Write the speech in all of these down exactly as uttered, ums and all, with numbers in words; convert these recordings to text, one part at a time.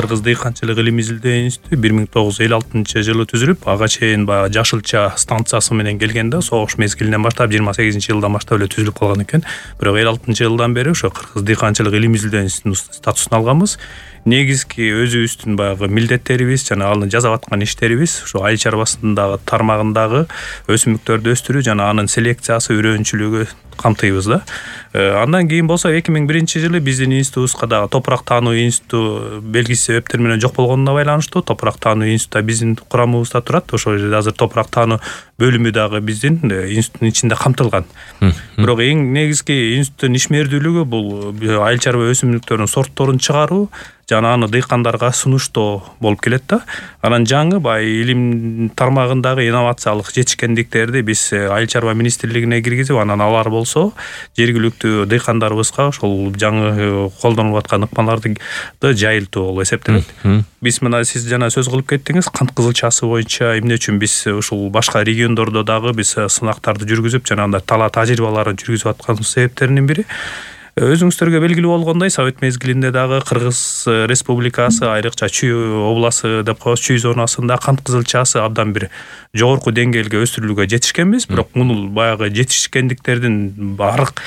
Кыргыз дыйканчылык илим изилдөө институту бир миң тогуз жүз элүү алтынчы жылы түзүлүп, ага чейин баягы Жашылча станциясы менен келгенде согуш мезгилинен баштап жыйырма сегизинчи жылдан баштап эле түзүлүп калган экен. Бирок элүү алтынчы жылдан бери ошо Кыргыз дыйканчылык илим изилдөө институтунун статусун алганбыз. Негизги өзүбүздүн баягы милдеттерибиз жана аны жасап аткан иштерибиз ошо айыл чарбасындагы тармагындагы өсүмдүктөрдү өстүрүү жана анын селекциясы, үрөөнчүлүгү камтыйбыз да. Андан кийин болсо эки миң биринчи жылы биздин институтубузга дагы топурак таануу институту белгисиз себептер менен жок болгонуна байланыштуу топурак таануу институту биздин курамыбызда турат. Ошол жерде азыр топурак таануу бөлүмү дагы биздин институттун ичинде камтылган. Бирок эң негизги институттун ишмердүүлүгү бул айыл чарба өсүмдүктөрүнүн сортторун чыгаруу жана аны дыйкандарга сунуштоо болуп келет да. Анан жаңы баягы илим тармагындагы инновациялык жетишкендиктерди биз айыл чарба министрлигине киргизип, анан алар болсо жергиликтүү дыйкандарыбызга ошол жаңы колдонулуп аткан ыкмаларды жайылтуу болуп эсептелет. Биз мына сиз жана сөз кылып кеттиңиз, кант кызылчасы боюнча эмне үчүн биз ушул башка региондордо дагы биз сынактарды жүргүзүп жана анда тала тажрыйбаларын жүргүзүп аткан себептеринин бири өзүңүздөргө белгилүү болгондой, совет мезгилинде дагы Кыргыз Республикасы, айрыкча Чүй областы деп коебуз, Чүй зонасында кант кызылчасы абдан бир жогорку деңгээлге өстүрүлүүгө жетишкенбиз. Бирок муну баягы жетишкендиктердин арк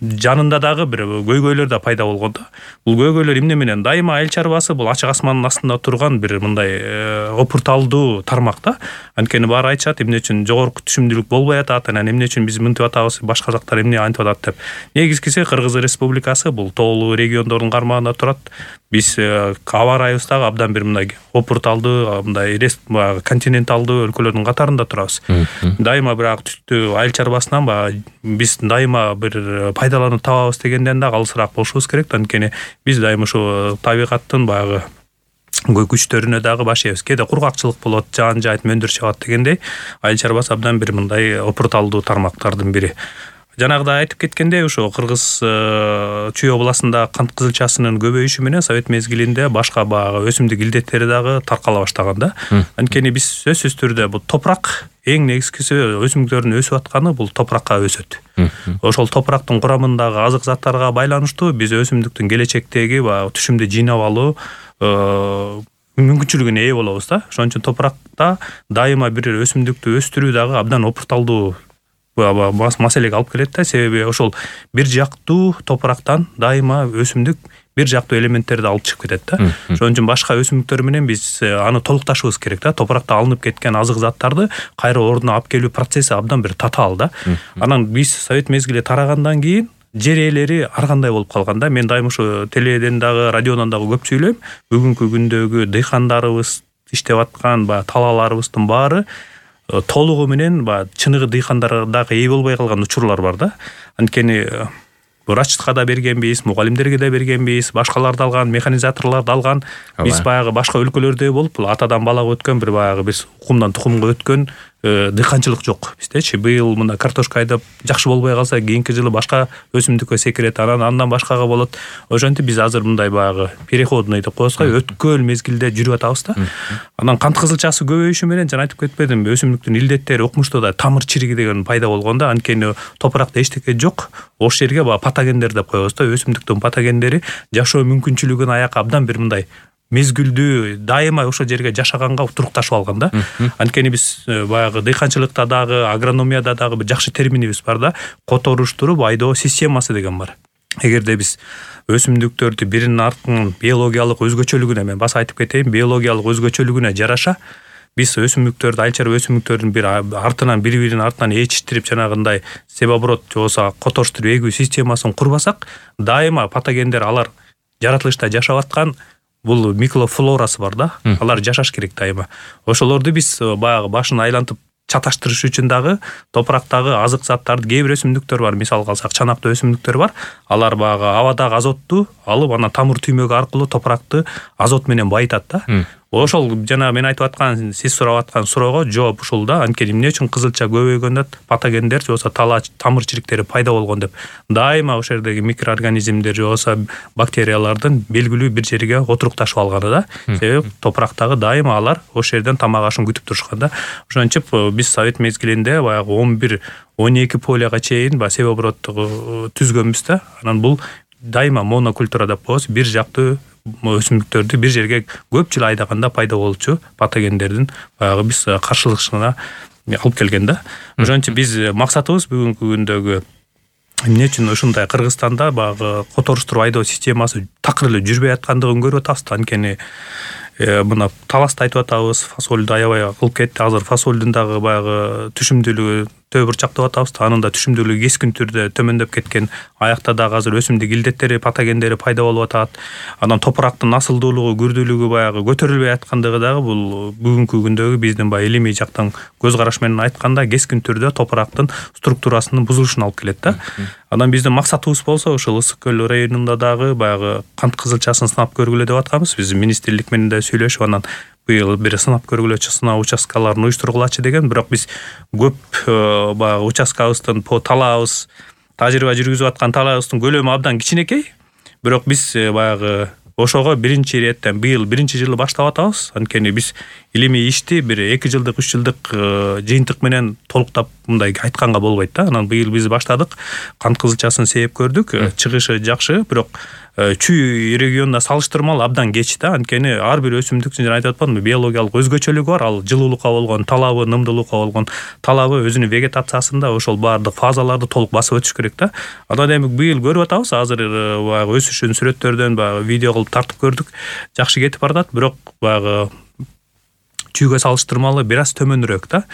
жанында дагы бир көйгөйлөр да пайда болгон да. Бул көйгөйлөр эмне менен? Дайыма айыл чарбасы бул ачык асмандын астында турган бир мындай опурталдуу тармак да. Анткени баары айтышат, эмне үчүн жогорку түшүмдүүлүк болбой атат, анан эмне үчүн биз мынтип атабыз, башка жактар эмне антип атат деп. Негизгиси Кыргыз Республикасы бул тоолуу региондордун кармагында турат. Биз аба ырайыбыз дагы абдан бир мындай опурталдуу, мындай континенталдуу өлкөлөрдүн катарында турабыз. Дайыма бирок түштү айыл чарбасынан баягы биз дайыма бир пайдаланып табабыз дегенден да калысыраак болушубуз керек. Анткени биз дайыма ушу табигаттын баягы күчтөрүнө дагы баш ийебиз. Кээде кургакчылык болот, жаан жайыт мөндүр чыгат дегендей, айыл чарбасы абдан бир мындай опурталдуу тармактардын бири. Жанагыда айтып кеткендей, ошо Кыргыз Чүй областында кант кызылчасынын көбөйүшү менен совет мезгилинде башка баягы өсүмдүк илдеттери дагы таркала баштаган да. Анткени биз сөзсүз түрдө бул топурак эң негизгиси өсүмдүктөрдүн өсүп атканы бул топуракка өсөт. Ошол топурактын курамындагы азык заттарга байланыштуу биз өсүмдүктүн келечектеги баягы түшүмдү жыйнап алуу мүмкүнчүлүгүнө ээ болобуз да. Ошон үчүн топуракта дайыма бир өсүмдүктү өстүрүү дагы абдан опурталдуу маселеге алып келет да. Себеби ошол бир жактуу топурактан дайыма өсүмдүк бир жактуу элементтерди алып чыгып кетет да. Ошон үчүн башка өсүмдүктөр менен биз аны толукташыбыз керек да. Топуракта алынып кеткен азык заттарды кайра ордуна алып келүү процесси абдан бир татаал да. Анан биз совет мезгили тарагандан кийин жер ээлери ар кандай болуп калган да. Мен дайыма ушу теледен дагы, радиодон дагы көп сүйлөйм. Бүгүнкү күндөгү дыйкандарыбыз иштеп аткан баягы талааларыбыздын баары толугу менен баягы чыныгы дыйкандарга дагы ээ болбой калган учурлар бар да. Анткени врачка да бергенбиз, мугалимдерге да бергенбиз, башкаларды алган, механизаторлорду алган. Биз баягы башка өлкөлөрдөй болуп, бул атадан балага өткөн бир баягы биз укумдан тукумга өткөн дыйканчылык жок биздечи. Быйыл мына картошка айдап жакшы болбой калса, кийинки жылы башка өсүмдүккө секирет, анан андан башкага болот. Ошентип биз азыр мындай баягы переходный деп коебуз го, өткөн мезгилде жүрүп атабыз да. Анан кант кызылчасы көбөйүшү менен жана айтып кетпедимби, өсүмдүктүн илдеттери укмушта да тамыр чириги деген пайда болгон да. Анткени топуракта эчтеке жок. Ошол жерге баягы патогендер деп коебуз да. Өсүмдүктүн патогендери жашоо мүмкүнчүлүгүн аяка абдан бир мындай мезгилдүү дайыма ошол жерге жашаганга турукташып алган да. Анткени биз баягы дыйканчылыкта дагы, агрономияда дагы бир жакшы терминибиз бар да. Которуштуруп айдоо системасы деген бар. Эгерде биз өсүмдүктөрдү биринин артынан биологиялык өзгөчөлүгүнө, мен баса айтып кетейин, биологиялык өзгөчөлүгүнө жараша биз өсүмдүктөрдү, айыл чарба өсүмдүктөрдүн бир артынан бири-биринин артынан ээчиштирип жанагындай себоборот же болбосо которуштуруп эгүү системасын курбасак, дайыма патогендер алар жаратылышта жашап аткан бул микрофлорасы бар да. Алар жашаш керек дайыма. Ошолорду биз баягы башын айлантып чаташтырыш үчүн дагы топурактагы азык заттарды, кээ бир өсүмдүктөр бар, мисалга алсак чанактуу өсүмдүктөр бар. Алар баягы абадагы азотту алып, анан тамыр түймөгү аркылуу топуракты азот менен байытат да. Ошол жана мен айтып аткан, сиз сурап аткан суроого жооп ушул да. Анткени эмне үчүн кызылча көбөйгөндө патогендер же болбосо тала тамыр чириктери пайда болгон деп. Дайыма ошол жердеги микроорганизмдер же болбосо бактериялардын белгилүү бир жерге отурукташып алганы да. Себеби топурактагы дайыма алар ошол жерден тамак ашын күтүп турушкан да. Ошентип биз совет мезгилинде баягы он бир он эки полияга чейин баягы себоборот түзгөнбүз да. Анан бул дайыма монокультура деп коебуз, бир жактуу өсүмдүктөрдү бир жерге көп жыл айдаганда пайда болчу патогендердин баягы биз каршылыгына алып келген да. Ошон үчүн биз максатыбыз бүгүнкү күндөгү эмне үчүн ушундай Кыргызстанда баягы которуштуруп айдоо системасы такыр эле жүрбөй аткандыгын көрүп атабыз. Анткени мына таласты айтып атабыз, фасолду аябай кылып кетти. Азыр фасолдун дагы баягы түшүмдүүлүгү төбө бурчак деп атабыз. Анын да түшүмдүүлүгү кескин түрдө төмөндөп кеткен. Аякта дагы азыр өсүмдүк илдеттери, патогендери пайда болуп атат. Анан топурактын асылдуулугу, күрдүүлүгү баягы көтөрүлбөй аткандыгы дагы бул бүгүнкү күндөгү биздин баягы илимий жактан көз караш менен айтканда кескин түрдө топурактын структурасынын бузулушуна алып келет да. Анан биздин максатыбыз болсо ушул Ысык көл районунда дагы баягы кант кызылчасын сынап көргүлө деп атканбыз. Биз министрлик менен да сүйлөшүп анан быйыл бир сынап көргүлөчү сыноо участкаларын уюштургулачы деген, бирок биз көп баягы участкабыздын талаабыз, тажрыйба жүргүзүп аткан талаабыздын көлөмү абдан кичинекей. Бирок биз баягы ошого биринчи иреттен быйыл биринчи жылы баштап атабыз. Анткени биз илимий ишти бир эки жылдык, үч жылдык жыйынтык менен толуктап мындай айтканга болбойт да. Анан быйыл биз баштадык. Кант кызылчасын сээп көрдүк. Чыгышы жакшы, бирок чүй регионуна салыштырмалуу абдан кеч да. Анткени ар бир өсүмдүктүн жана айтып атпадымбы, биологиялык өзгөчөлүгү бар. Ал жылуулукка болгон талабы, нымдуулукка болгон талабы өзүнүн вегетациясында ошол баардык фазаларды толук басып өтүш керек да. Анан эми быйыл көрүп атабыз, азыр баягы өсүшүн сүрөттөрдөн баягы видео кылып тартып көрдүк. Жакшы кетип баратат, бирок баягы чүйгө салыштырмалуу бир аз төмөнүрөөк да.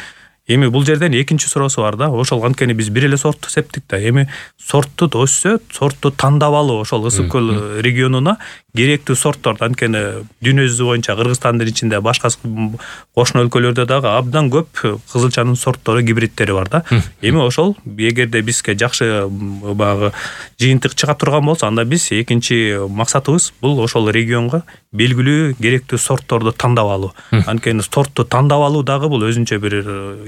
Эми бул жерден экинчи суроосу бар да. Ошол анткени биз бир эле сортту септик да. Эми сортту өссө, сортту тандап алуу ошол Ысык көл регионуна керектүү сорттор. Анткени дүйнө жүзү боюнча Кыргызстандын ичинде башка кошуна өлкөлөрдө дагы абдан көп кызылчанын сорттору, гибридтери бар да. Эми ошол эгерде бизге жакшы баягы жыйынтык чыга турган болсо, анда биз экинчи максатыбыз бул ошол регионго белгилүү керектүү сортторду тандап алуу. Анткени сортту тандап алуу дагы бул өзүнчө бир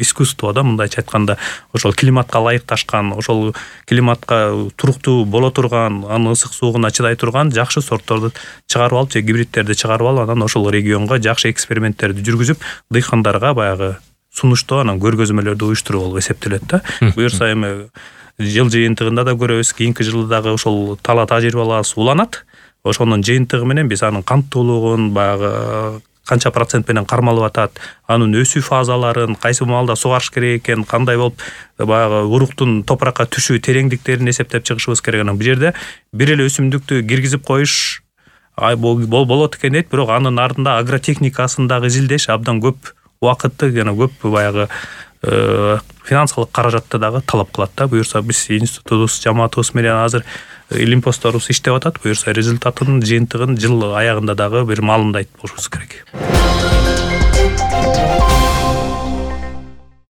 искусство да, мындайча айтканда. Ошол климатка ылайыкташкан, ошол климатка туруктуу боло турган, анын ысык суугуна чыдай турган жакшы сортторду чыгарып алып, же гибридтерди чыгарып алып, анан ошол регионго жакшы эксперименттерди жүргүзүп, дыйкандарга баягы сунуштоо, анан көргөзмөлөрдү уюштуруу болуп эсептелет да. Буюрса эми жыл жыйынтыгында да көрөбүз, кийинки жылы дагы ошол тала тажрыйбаларыбыз уланат. Ошонун жыйынтыгы менен биз анын канттуулугун, баягы канча процент менен кармалып атат, анын өсүү фазаларын, кайсы маалда сугарыш керек экен, кандай болуп баягы уруктун топуракка түшүү тереңдиктерин эсептеп чыгышыбыз керек. Анан бул жерде бир эле өсүмдүктү киргизип коюш болот экен дейт, бирок анын артында агротехникасын дагы изилдеш абдан көп убакытты жана көп баягы финансылык каражатты дагы талап кылат да. Буюрса биз институтубуз, жамаатыбыз менен азыр илимпостторубуз иштеп атат. Буюрса результатын, жыйынтыгын жыл аягында дагы бир маалымда айтып болушубуз керек.